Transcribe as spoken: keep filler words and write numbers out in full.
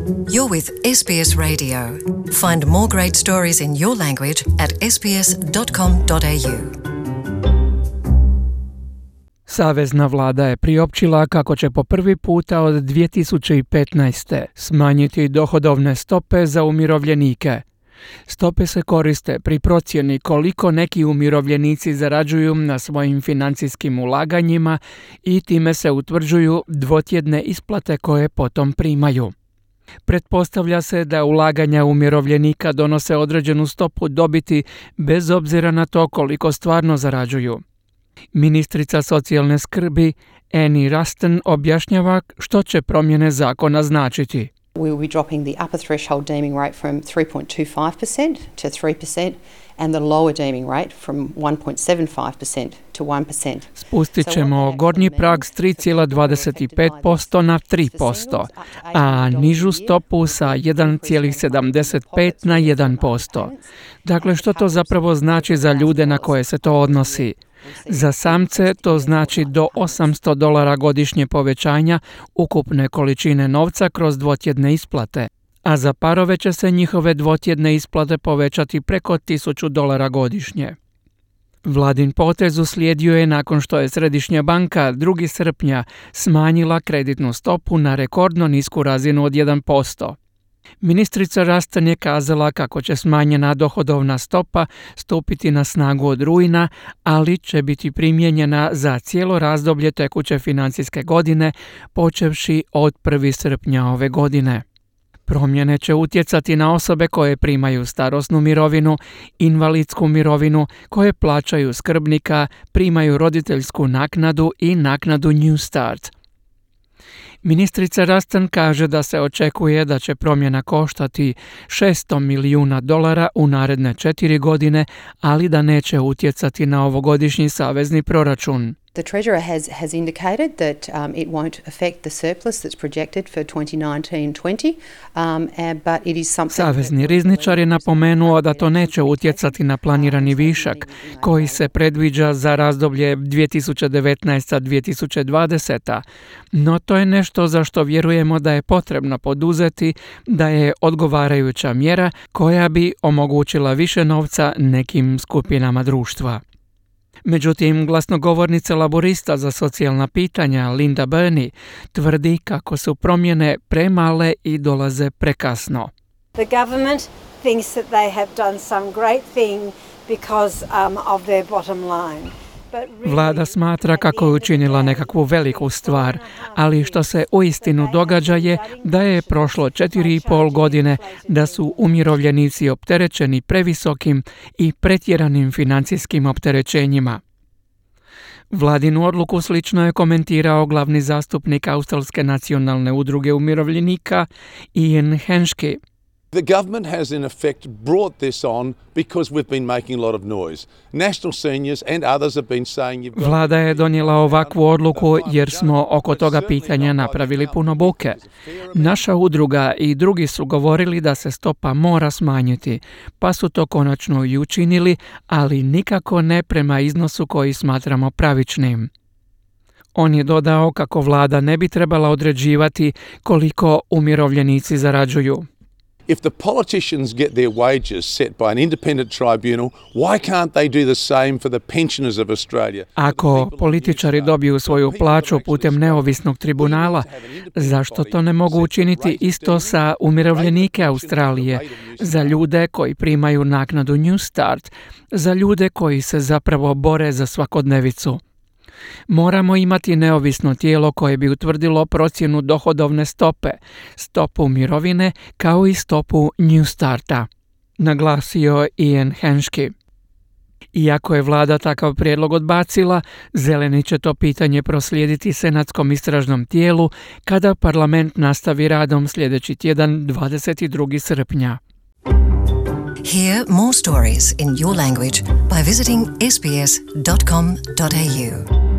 You're with S B S Radio. Find more great stories in your language at s b s dot com dot a u. Savezna vlada je priopćila kako će po prvi puta od dvije tisuće petnaeste. smanjiti dohodovne stope za umirovljenike. Stope se koriste pri procjeni koliko neki umirovljenici zarađuju na svojim financijskim ulaganjima i time se utvrđuju dvotjedne isplate koje potom primaju. Pretpostavlja se da ulaganja umirovljenika donose određenu stopu dobiti bez obzira na to koliko stvarno zarađuju. Ministrica socijalne skrbi Annie Ruston objašnjava što će promjene zakona značiti. We will be dropping the upper threshold deeming rate from three point two five percent to three percent and the lower deeming rate from one point seven five percent to one percent. Spustit ćemo gornji prag s tri zarez dvadeset pet posto na tri posto, a nižu stopu sa jedan zarez sedamdeset pet na jedan posto. Dakle, što to zapravo znači za ljude na koje se to odnosi? Za samce to znači do osamsto dolara godišnje povećanja ukupne količine novca kroz dvotjedne isplate, a za parove će se njihove dvotjedne isplate povećati preko tisuću dolara godišnje. Vladin potez uslijedio je nakon što je Središnja banka drugog srpnja smanjila kreditnu stopu na rekordno nisku razinu od jedan posto. Ministrica Ruston je kazala kako će smanjena dohodovna stopa stupiti na snagu od rujna, ali će biti primijenjena za cijelo razdoblje tekuće financijske godine, počevši od prvog srpnja ove godine. Promjene će utjecati na osobe koje primaju starosnu mirovinu, invalidsku mirovinu, koje plaćaju skrbnika, primaju roditeljsku naknadu i naknadu New Start. Ministrica Ruston kaže da se očekuje da će promjena koštati šesto milijuna dolara u naredne četiri godine, ali da neće utjecati na ovogodišnji savezni proračun. The Treasurer has, has indicated that um, it won't affect the surplus that's projected for twenty nineteen twenty, um, and, but it is something... Savezni rizničar je napomenuo da to neće utjecati na planirani višak, koji se predviđa za razdoblje dvije tisuće devetnaesta do dvije tisuće dvadeseta. No to je nešto za što vjerujemo da je potrebno poduzeti, da je odgovarajuća mjera koja bi omogućila više novca nekim skupinama društva. Međutim, glasnogovornica laborista za socijalna pitanja Linda Burney tvrdi kako su promjene premale i dolaze prekasno. The government thinks that they have done some great thing because um, of their bottom line. Vlada smatra kako je učinila nekakvu veliku stvar, ali što se uistinu događa je da je prošlo četiri i pol godine da su umirovljenici opterećeni previsokim i pretjeranim financijskim opterećenjima. Vladinu odluku slično je komentirao glavni zastupnik Australske nacionalne udruge umirovljenika Ian Henschke. The government has in effect brought this on because we've been making a lot of noise. National seniors and others have been saying you've got... Vlada je donijela ovakvu odluku jer smo oko toga pitanja napravili puno buke. Naša udruga i drugi su govorili da se stopa mora smanjiti, pa su to konačno i učinili, ali nikako ne prema iznosu koji smatramo pravičnim. On je dodao kako vlada ne bi trebala određivati koliko umirovljenici zarađuju. If the politicians get their wages set by an independent tribunal, why can't they do the same for the pensioners of Australia? Ako političari dobiju svoju plaću putem neovisnog tribunala, zašto to ne mogu učiniti isto sa umirovljenike Australije, za ljude koji primaju naknadu New Start, za ljude koji se zapravo bore za svakodnevicu? Moramo imati neovisno tijelo koje bi utvrdilo procjenu dohodovne stope, stopu mirovine kao i stopu New Starta, naglasio Ian Henschke. Iako je vlada takav prijedlog odbacila, zeleni će to pitanje proslijediti senatskom istražnom tijelu kada parlament nastavi radom sljedeći tjedan dvadeset drugog srpnja. Hear more stories in your language by visiting s b s dot com dot a u.